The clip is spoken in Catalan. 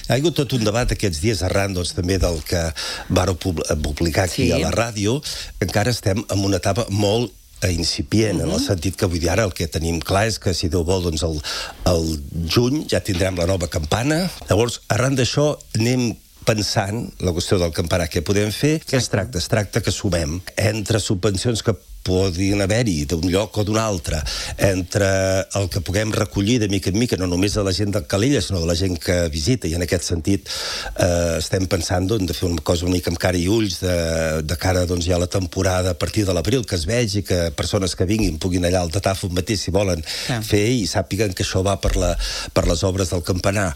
Ha hagut tot un debat aquests dies arran, doncs, també del que vàreu publicar aquí a la ràdio. Encara estem en una etapa molt incipient, en el sentit que vull dir ara el que tenim clar és que si Déu vol doncs el juny ja tindrem la nova campana. Llavors, arran d'això anem pensant la qüestió del campanar, què podem fer? Què es tracta? Es tracta que sumem entre subvencions que podien haver-hi d'un lloc o d'un altre, entre el que puguem recollir de mica en mica, no només de la gent de Calella, sinó de la gent que visita, i en aquest sentit estem pensant de fer una cosa una mica amb cara i ulls de cara ja a la temporada a partir de l'abril, que es vegi, que persones que vinguin puguin allà al Tatàfon mateix, si volen fer, i sàpiguen que això va per les obres del campanar.